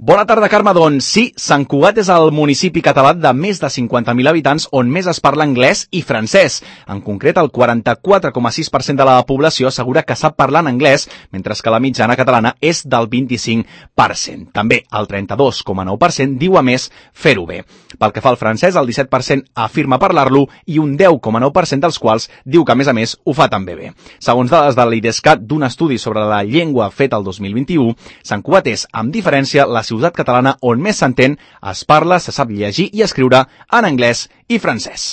Bona tarda, Carme. Doncs sí, Sant Cugat és el municipi català de més de 50.000 habitants on més es parla anglès i francès. En concret, el 44,6% de la població assegura que sap parlar en anglès, mentre que la mitjana catalana és del 25%. També el 32,9% diu a més fer-ho bé. Pel que fa al francès, el 17% afirma parlar-lo i un 10,9% dels quals diu que, a més, ho fa també bé. Segons dades de l'IDESCAT d'un estudi sobre la llengua fet el 2021, Sant Cugat és, amb diferència, la ciutat catalana on més s'entén, es parla, se sap llegir i escriure en anglès i francès.